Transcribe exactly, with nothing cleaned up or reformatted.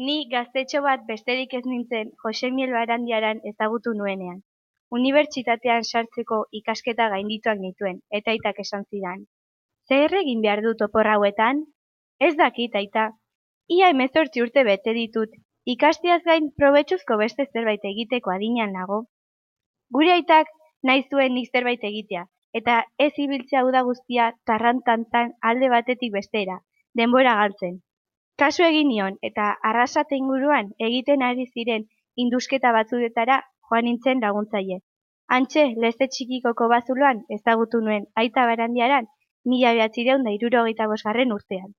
Ni gaztetxo bat besterik ez nintzen Josemiel Barandiaran ezagutu nuenean. Unibertsitatean sartzeko ikasketa gaindituak nituen, eta aitak esan zidan. Zer egin behar dut opor hauetan? Ez dakit, aita. Ia hemezortzi urte bete ditut, ikasteaz gain probetxuzko beste zerbait egiteko adinean nago. Gure aitak nahi zuen nik zerbait egitea, eta ez ibiltzea uda guztia tarrantantan alde batetik bestera, denbora galtzen. Kasu egin nion, eta Arrasate inguruan egiten ari ziren indusketa batzudetara joan nintzen laguntzaile. Hantxe, Leze Txikikoko bazuloan ezagutu nuen aita Barandiaran mila bederatziehun eta hirurogeita bosgarren urtean.